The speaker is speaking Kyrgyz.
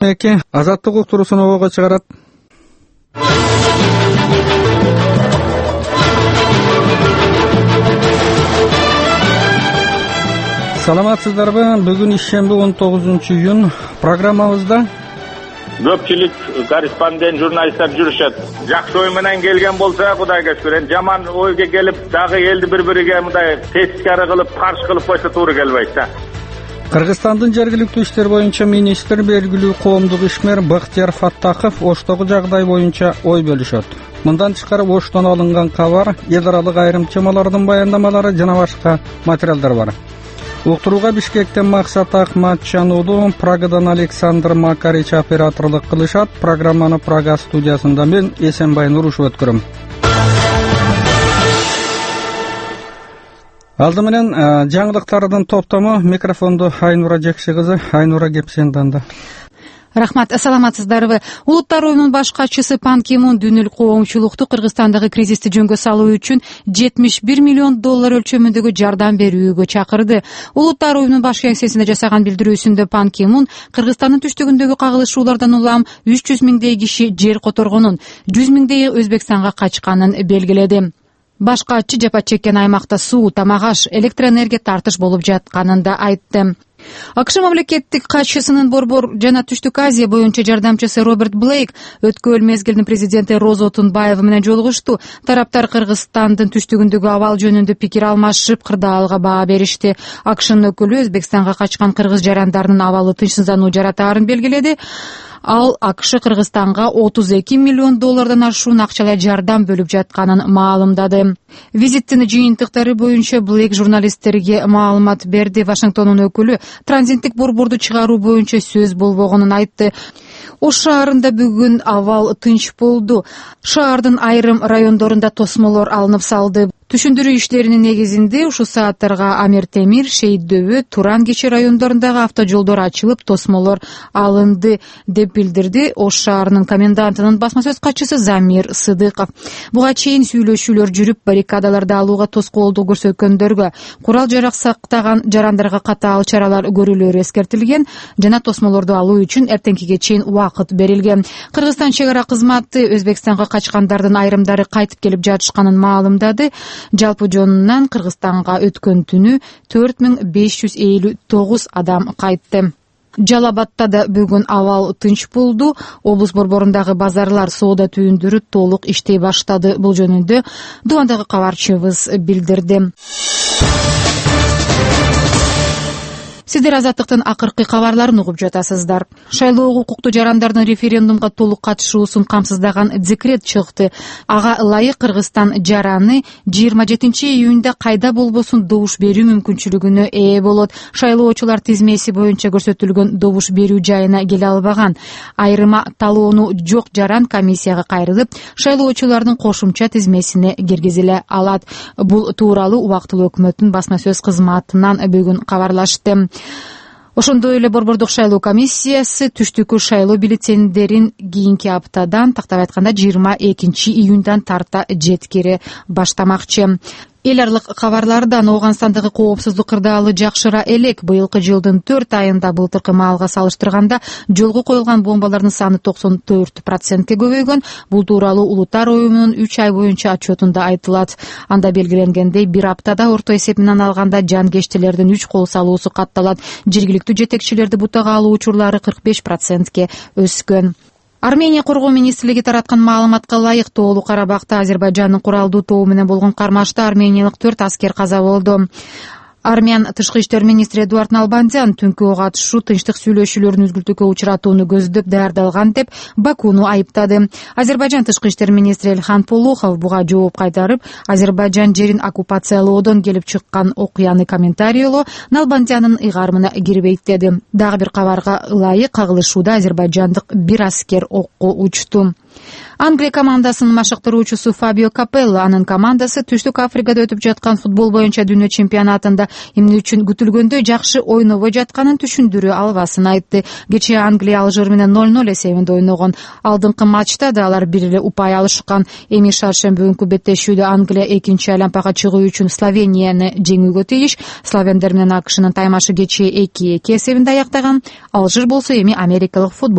Азаттык уктуруусун обого чыгарат. Саламатсыздарбы? Бүгүн ишемби 19-июнь. Программабызда көпчүлүк корреспондент журналисттер жүрүшөт. Жакшы ой менен келген болсо Кудайга шүкүр. Жаман ойго келип дагы элди бири-бириге мындай тескари кылып, каршы кылып койсо туура келбейт да. Кыргызстандын жергиликтүү иштер боюнча министр белгилүү коомдук ишмер Бактияр Фаттахов Оштогу жагдай боюнча ой бөлүшөт. Мындан тышкары Оштон алынган кабар, эл аралык айрым темалардын баяндамалары жана башка материалдар бар. Уктурууга Бишкектен Максат Ахматчануулу, Прагадан Александр Макарич операторлук кылышат. Программаны Прага студиясында мен Эсенбай Нурушев өткөрөм. Алды менен жаңылыктардын топтому. Микрофонду Айнура Жекши кызы. Айнура, кеп сен данда. Рахмат, саламатсыздарбы? Улуттар уюмунун баш катчысы Пан Ки Мун дүйнөлүк коомчулукту Кыргызстандагы кризисти жөнгө салуу үчүн $71 миллион өлчөмүндөгү жардам берүүгө чакырды. Улуттар уюмунун баш кеңсесинде жасаган билдирүүсүндө Пан Ки Мун Кыргызстандын түштүгүндөгү кагылышуулардан улам 300 миңдей киши жер которгонун, 100 миңдей Өзбекстанга качканын белгиледи. Баш катчы жапа чеккен аймакта суу, тамак аш, электроэнергия тартыш болуп жатканын да айтты. АКШ мамлекеттик катчысынын Борбор жана Түштүк Азия боюнча жардамчысы Роберт Блейк өткөн мезгилдин президенти Роза Отунбаева менен жолугушту. Тараптар Кыргызстандын түштүгүндөгү абал жөнүндө пикир алмашып, кырдаалга баа беришти. АКШнын өкүлү Өзбекстанга качкан кыргыз жарандарынын абалы тынчсыздануу жаратаарын белгиледи. Ал АКШ Кыргызстанга $32 миллион ашуун акчалай жардам бөлүп жатканын маалымдады. Визиттин жыйынтыктары боюнча Блейк журналисттерге маалымат берди. Вашингтондун өкүлү транзиттик борборду чыгаруу боюнча сөз болбогонун айтты. Ош шаарында бүгүн абал тынч болду. Шаардын айрым райондорунда тосмолор алынып салды. Түшүндүрүү иштеринин негизинде ушул сааттарга Амир Темир, Шейит Дөбө, Туран Кечи райондорундагы автожолдор ачылып, тосмолор алынды, деп билдирди Ош шаарынын комендантынын басма сөз катчысы Замир Сыдыков. Буга чейин сүйлөшүүлөр жүрүп, баррикадаларды алууга тоскоолдук көрсөткөндөргө, курал жарак сактаган жарандарга катаал чаралар көрүлөрү эскертилген жана тосмолорду алуу үчүн эртеңкиге чейин убакыт берилген. Кыргызстан чек ара кызматы Өзбекстанга качкандардын айрымдары кайтып келип жатышканын маалымдады. Жалпы жонунан Кыргызстанга өткөн түнү 4559 адам кайтты. Жалал-Абадта да бүгүн абал тынч болду. Облус борборундагы базарлар, соода түйүндөрү толук иштей баштады. Бул жөнүндө Дубандагы кабарчыбыз билдирди. Сиздер Азаттыктын акыркы кабарларын угуп жатасыздар. Шайлоого укуктуу жарандардын референдумга толук катышуусун камсыздаган декрет чыкты. Ага ылайык Кыргызстан жараны 27 июнда кайда болбосун добуш берүү мүмкүнчүлүгүнө ээ болот. Шайлоочулар тизмеси боюнча көрсөтүлгөн добуш берүү жайына келе албаган. Айрыма талоону жок жаран комиссияга кайрылып, шайлоочулардын кошумча тизмесине киргизиле алат. Бул тууралуу убактылуу өкмөттүн басма сөз кызматынан бүгүн кабарлашты. Ошондой эле Борбордук шайлоо комиссиясы түштүккө шайлоо бюллетендерин кийинки аптадан, тактап айтканда 22 июндан тарта жеткире баштамакчы. Эл аралык кабарлардан Ооганстандагы коопсуздук кырдаалы жакшыра элек. Быйылкы жылдын 4 айында былтыркы маалга салыштырганда жолго коюлган бомбалардын саны 94%ке көбөйгөн. Бул тууралуу Улуттар уюмунун 3 ай боюнча отчетунда айтылат. Анда белгиленгендей, бир аптада орто эсеп менен алганда жангечтилердин 3 кол салуусу катталат. Жергиликтүү жетекчилерди бутага алуу учурлары 45%ке өскөн. Армения коргоо министрлиги тараткан маалыматка ылайык, Тоолуу Карабакта Азербайжандын куралдуу тобу менен болгон кармашта армениялык 4 аскер каза болду. Армян тышкы иштер министри Эдуард Налбандян түнкү ого атышуу тынчтык сүйлөшүүлөрүн үзгүлтүүгө учуратууну көздөп даярдалган деп Бакуну айыптады. Азербайжан тышкы иштер министри Элхан Полухов буга жооп кайтарып, Азербайжан жерин оккупациялоодон келип чыккан окуяны комментарийлоо Налбандянын ыйгарымына кирбейт деди. Дагы бир кабарга ылайык, кагылышууда азербайжандык бир аскер окко учту. Англия командасынын машыктыруучусу Фабио Капелло, анын командасы Түштүк Африкада өтүп жаткан футбол боюнча дүйнө чемпионатында эмне үчүн күтүлгөндөй жакшы ойнобой жатканын түшүндүрө албасын айтты. Кечээ Англия Алжир менен 0-0 эсебинде ойногон. Алдыңкы матчта да алар бир эле упай алышкан. Эми шаршемби күнкү беттешүүдө Англия экинчи айланпага чыгуу үчүн Словенияны жеңүүгө тийиш. Словендер менен АКШнын таймашы кечээ 2-2 эсебинде аяктаган. Алжир болсо эми америкалык футбол